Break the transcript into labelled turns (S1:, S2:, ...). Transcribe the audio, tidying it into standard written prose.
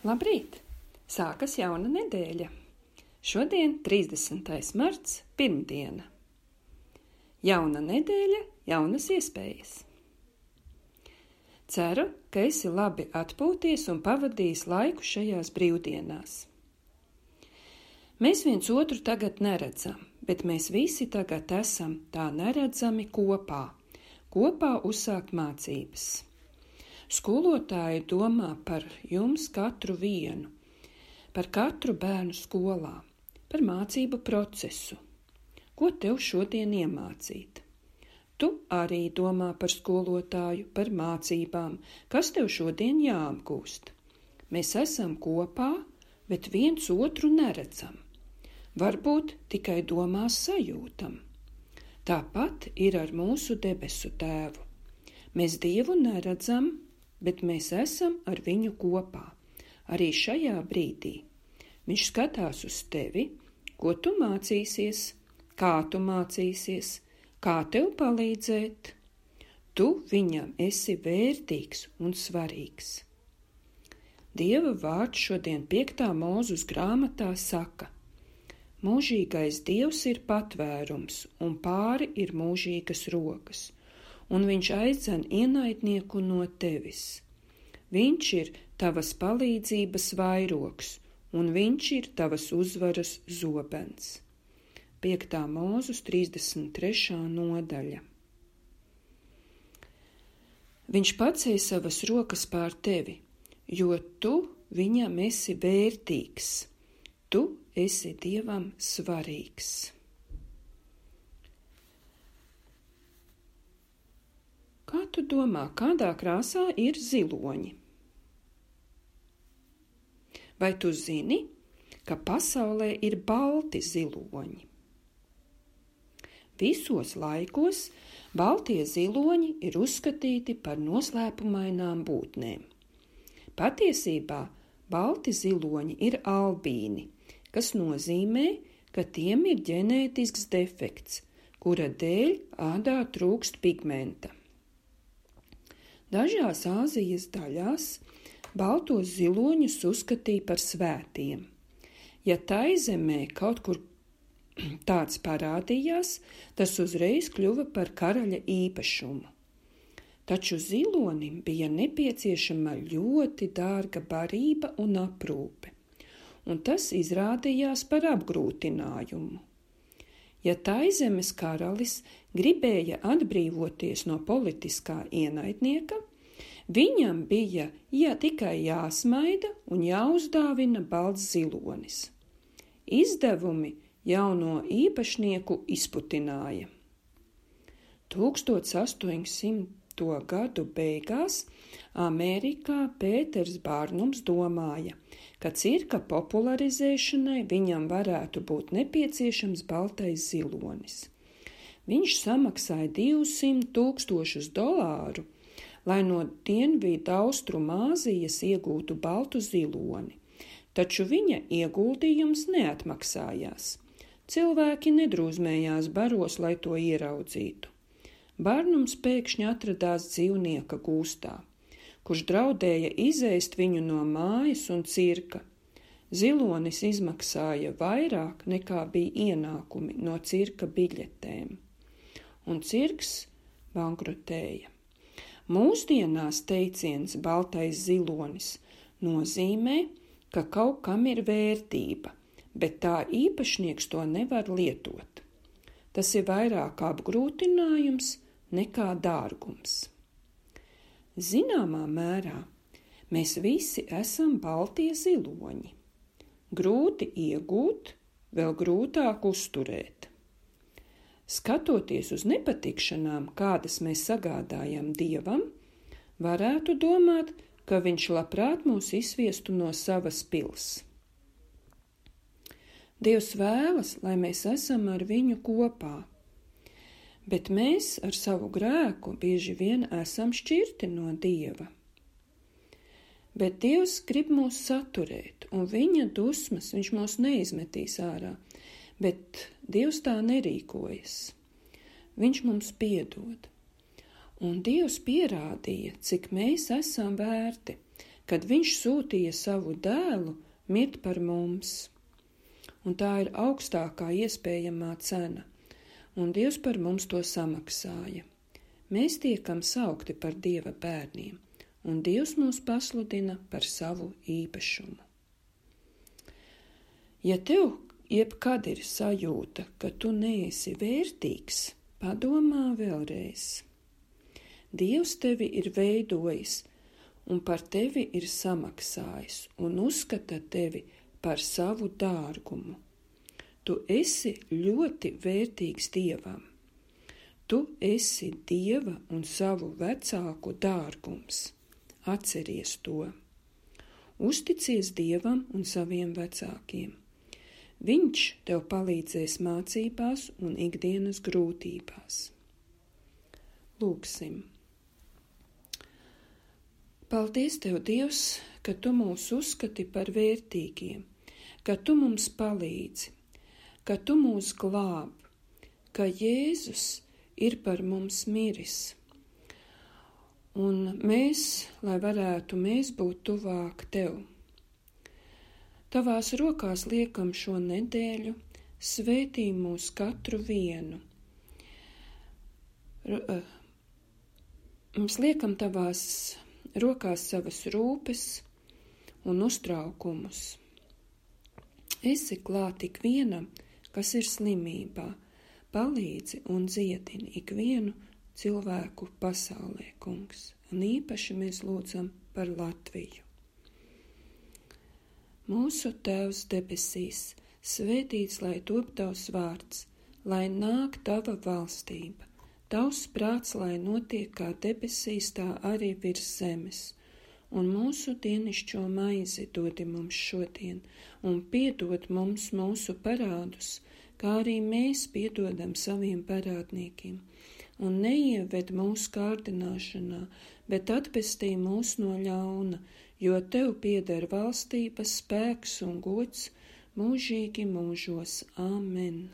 S1: Labrīt! Sākas jauna nedēļa. Šodien 30. marts, pirmdiena. Jauna nedēļa, jaunas iespējas. Ceru, ka esi labi atpūties un pavadījis laiku šajās brīvdienās. Mēs viens otru tagad neredzam, bet mēs visi tagad esam tā neredzami kopā uzsākt mācības. Skolotāji domā par jums katru vienu, par katru bērnu skolā, par mācību procesu. Ko tev šodien iemācīt? Tu arī domā par skolotāju, par mācībām, kas tev šodien jāapgūst. Mēs esam kopā, bet viens otru neredzam. Varbūt tikai domās sajūtam. Tāpat ir ar mūsu debesu tēvu. Mēs Dievu neredzam, bet mēs esam ar viņu kopā. Arī šajā brīdī viņš skatās uz tevi, ko tu mācīsies, kā tev palīdzēt. Tu viņam esi vērtīgs un svarīgs. Dieva vārds šodien 5. Mūzes grāmatā saka: mūžīgais Dievs ir patvērums, un pāri ir mūžīgas rokas, un viņš aizdzen ienaidnieku no tevis. Viņš ir tavas palīdzības vairogs, un viņš ir tavas uzvaras zobens. 5. Mūzes 33. nodaļa. Viņš pacēla savas rokas pār tevi, jo tu viņam esi vērtīgs. Tu esi Dievam svarīgs. Kā tu domā, kādā krāsā ir ziloņi? Vai tu zini, ka pasaulē ir balti ziloņi? Visos laikos baltie ziloņi ir uzskatīti par noslēpumainām būtnēm. Patiesībā balti ziloņi ir albīni, kas nozīmē, ka tiem ir ģenētisks defekts, kura dēļ ādā trūkst pigmenta. Dažās Āzijas daļās baltos ziloņus uzskatīja par svētiem. Ja tai zemē kaut kur tāds parādījās, tas uzreiz kļuva par karaļa īpašumu. Taču zilonim bija nepieciešama ļoti dārga barība un aprūpe, un tas izrādījās par apgrūtinājumu. Ja Taizemes karalis gribēja atbrīvoties no politiskā ienaidnieka, viņam bija tikai jāsmaida un jāuzdāvina balts zilonis. Izdevumi jauno īpašnieku izputināja. 1800. gadu beigās Amerikā Pēters Bārnums domāja, ka cirka popularizēšanai viņam varētu būt nepieciešams baltais zilonis. Viņš samaksāja $200,000, lai no Dienvidaustrumāzijas iegūtu baltu ziloni, taču viņa ieguldījums neatmaksājās. Cilvēki nedrūzmējās baros, lai to ieraudzītu. Bārnums pēkšņi atradās dzīvnieka gūstā, kurš draudēja izēst viņu no mājas un cirka. Zilonis izmaksāja vairāk nekā bija ienākumi no cirka biļetēm, un cirks bankrotēja. Mūsdienās teiciens baltais zilonis nozīmē, ka kaut kam ir vērtība, bet tā īpašnieks to nevar lietot. Tas ir vairāk apgrūtinājums nekā dārgums. Zināmā mērā mēs visi esam baltie ziloņi. Grūti iegūt, vēl grūtāk uzturēt. Skatoties uz nepatikšanām, kādas mēs sagādājam Dievam, varētu domāt, ka viņš labprāt mūs izviestu no savas pils. Dievs vēlas, lai mēs esam ar viņu kopā, bet mēs ar savu grēku bieži vien esam šķirti no Dieva. Bet Dievs grib mūs saturēt, un viņa dusmas viņš mūs neizmetīs ārā, bet Dievs tā nerīkojas. Viņš mums piedod. Un Dievs pierādīja, cik mēs esam vērti, kad viņš sūtīja savu dēlu mirt par mums. Un tā ir augstākā iespējamā cena, un Dievs par mums to samaksāja. Mēs tiekam saukti par Dieva bērniem, un Dievs mūs pasludina par savu īpašumu. Ja tev jebkad ir sajūta, ka tu neesi vērtīgs, padomā vēlreiz. Dievs tevi ir veidojis un par tevi ir samaksājis un uzskata tevi par savu dārgumu. Tu esi ļoti vērtīgs Dievam. Tu esi Dieva un savu vecāku dārgums. Atceries to. Uzticies Dievam un saviem vecākiem. Viņš tev palīdzēs mācībās un ikdienas grūtībās. Lūksim. Paldies Tev, Dievs, ka Tu mūs uzskati par vērtīgiem, ka Tu mums palīdzi, ka Tu mūs glāb, ka Jēzus ir par mums miris. Un mēs, lai varētu būt tuvāk Tev. Tavās rokās liekam šo nedēļu, svētī mūs katru vienu. Mums liekam Tavās rokās savas rūpes un uztraukumus. Esi klāt ikvienam, kas ir slimībā, palīdzi un dziedini ikvienu cilvēku pasaulē, Kungs. Un īpaši mēs lūdzam par Latviju. Mūsu Tēvs debesīs, svētīts lai top Tavs vārds, lai nāk Tava valstība, Tavs prāts, lai notiek kā debesīs, tā arī virs zemes. Un mūsu dienišķo maizi dodi mums šodien, un piedod mums mūsu parādus, kā arī mēs piedodam saviem parādniekiem. Un neieved mūsu kārdināšanā, bet atpestī mūs no ļauna, jo Tev pieder valstība, spēks un gods mūžīgi mūžos. Āmen.